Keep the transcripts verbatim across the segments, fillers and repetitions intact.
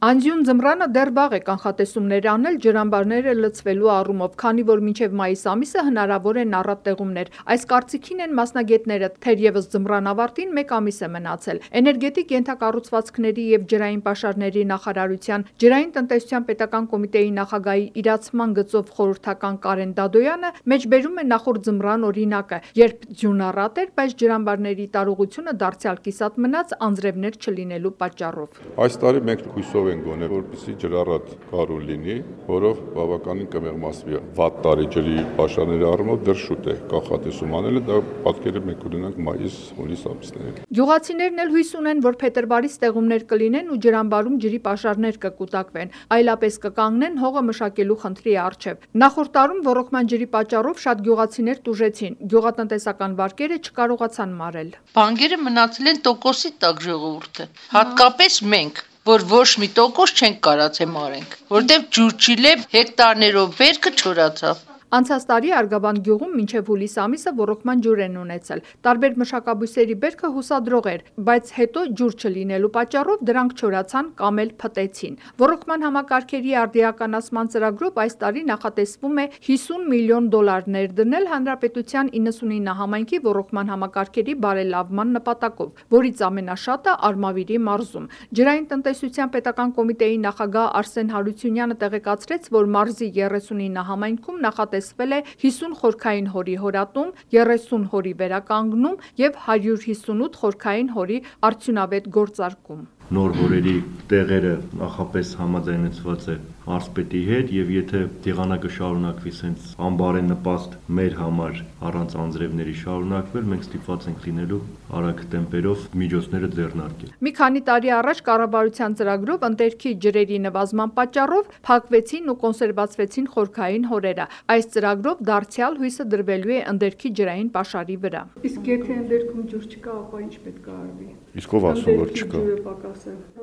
Անձյուն ձմռանը դեռ վաղ է կանխատեսումներ անել ջրամբարները լցվելու առումով, քանի որ մինչև մայիս ամիսը հնարավոր են առատ տեղումներ։ Այս կարծիքին են մասնագետները, թերևս ձմռան ավարտին մեկ ամիս է մնացել։ Էներգետիկ ենթակառուցվածքների և ջրային պաշարների նախարարության ջրային տնտեսության պետական կոմիտեի նախագահի իրացման գծով խորհրդական Կարեն Դադոյանը մեջբերում է նախորդ ձմռան օրինակը, երբ ձյուն առատ էր, բայց ջրամբարների տարողությունը դարձյալ կիսատ մնաց անձրևներ չլինելու պատճառով։ Այս տարի մենք հույսով ենք գոնե, որպեսզի ջրառատ կարու լինի, որով բավականին կմեղմացվի վատ տարի ջրի պաշարների առումով դեռ շուտ է կանխատեսում անելը, դա պատկերը մենք ունենանք մայիս, հունիս ամիսներին։ Գյուղացիներն էլ հույս ունեն, որ փետրվարից տեղումներ կլինեն ու ջրամբարում ջրի պաշարներ կկուտակվեն, այլապես կկանգնեն հողը մշակելու խնդրի առջև։ Նախորդ տարում ոռոգման ջրի պատճառով շատ գյուղացիներ տուժեցին, գյուղատնտեսական վարկերը չկարողացան մարել։ Բանկերը մնացել են տոկոսի տակ ժողովուրդը, հատկապես մենք, որ ոչ մի տոկոս չենք կարացել մարենք, որտեղ ջուր չիլև հեկտարներով բերքը չորացավ։ Անցած տարի Արգաբանդ գյուղում մինչև հուլիս ամիսը ոռոգման ջուր են ունեցել։ Տարբեր մշակաբույսերի բերքը հուսադրող էր, բայց հետո ջուր չլինելու պատճառով դրանք չորացան կամ էլ փտեցին։ Ոռոգման համակարգերի արդիականացման ծրագրով այս տարի նախատեսվում է հիսուն միլիոն դոլար ներդնել հանրապետության իննսունինը համայնքի ոռոգման համակարգերի բարելավման նպատակով, որից ամենաշատը Արմավիրի մարզում։ Ջրային տնտեսության պետական կոմիտեի նախագահ Արսեն Հարությունյանը տեղեկացրեց, որ մարզի երեսունինը համայնքում նախատեսվել է հիսուն խորքային հորի հորատում, երեսուն հորի վերականգնում և հարյուր հիսունութ խորքային հորի արդյունավետ գործարկում։ Նոր հորերի տեղերը նախապես համաձայնեցված է մարզպետի հետ, եւ եթե եղանակը շարունակվի սենց անբարենպաստ մեր համար առանց անձրևների շարունակվել, մենք ստիպված ենք լինելու արագ տեմպերով միջոցները ձեռնարկել։ Մի քանի տարի առաջ կառավարության ծրագրով ընդերքի ջրերի նվազման պատճառով փակվեցին ու կոնսերվացվեցին խորքային հորերը։ Այս ծրագրով դարձյալ հույսը դրվելու է ընդերքի ջրային պաշարի վրա։ Իսկ եթե ընդերքում ջուր չկա, ապա ինչ պետք է արվի։ Իսկ ով ասում որ չկա։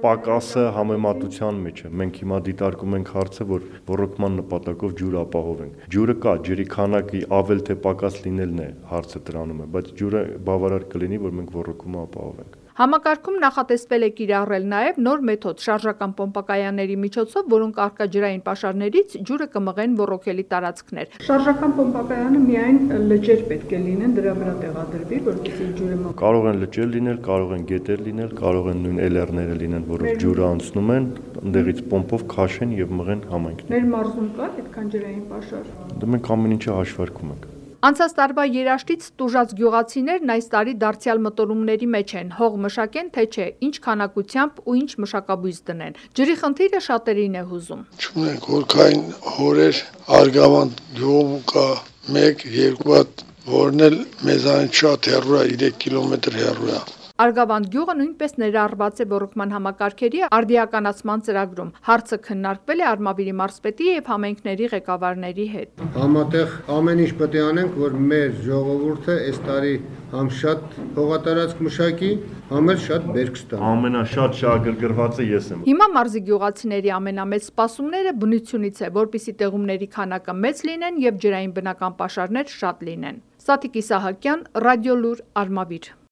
Պակասը համեմատության մեջ է։ Մենք հիմա դիտարկում ենք հարցը, որ ոռոգման նպատակով ջուր ապահովենք։ Ջուրը կա, ջրի քանակի ավել թե պակաս լինելն է հարցը դրանում է, բայց ջուրը բավարար կլինի, որ մենք ոռոգումը ապահովենք։ Համակարգում նախատեսվել է կիրառել նաև նոր մեթոդ շարժական պոմպակայանների միջոցով, որոնք առկա ջրային պաշարներից ջուրը կմղեն ոռոգելի տարածքներ։ Շարժական պոմպակայանը միայն լճեր պետք է լինեն, դրա վրա տեղադրվի, որպեսզի ջուրը մղի։ Կարող են լճեր լինել, կարող են գետեր լինել, կարող են նույն էլերները լինեն, որով ջուրը անցնում են, ընդեղից պոմպով քաշեն եւ մղեն համայնքներ։ Մեր մարզում կա այդքան ջրային պաշար։ Դա մենք ամեն ինչը հաշվարկում ենք։ Անցած տարվա երաշտից տուժած գյուղացիներն այս տարի դարձյալ մտորումների մեջ են, հող մշակեն թե չէ, ինչ քանակությամբ ու ինչ մշակաբույս դնեն։ Ջրի խնդիրը շատերին է հուզում։ Չունենք հորքային հորեր, Արգավանդ գյուղում կա մեկ, երկու հատ, որն էլ մեզանից շատ հեռու է, երեք կիլոմետր հեռու է։ Արգավանդ գյուղը նույնպես ներառված է ոռոգման համակարգերի արդիականացման ծրագրում։ Հարցը քննարկվել է Արմավիրի մարզպետի եւ համայնքների ղեկավարների հետ։ Համատեղ ամեն ինչ պետք է անենք, որ մեր ժողովուրդը այս տարի համ շատ հողատարածք մշակի, համ էլ շատ բերք ստանա։ Ամենաշատ շահագրգռվածը ես եմ։ Հիմա մարզի գյուղացիների ամենամեծ սպասումները բնությունից է, որպեսզի տեղումների քանակը մեծ լինեն եւ ջրային բնական պաշարներ շատ լինեն։ Սաթիկ Իսահակյան, Ռադիոլուր, Արմավիր։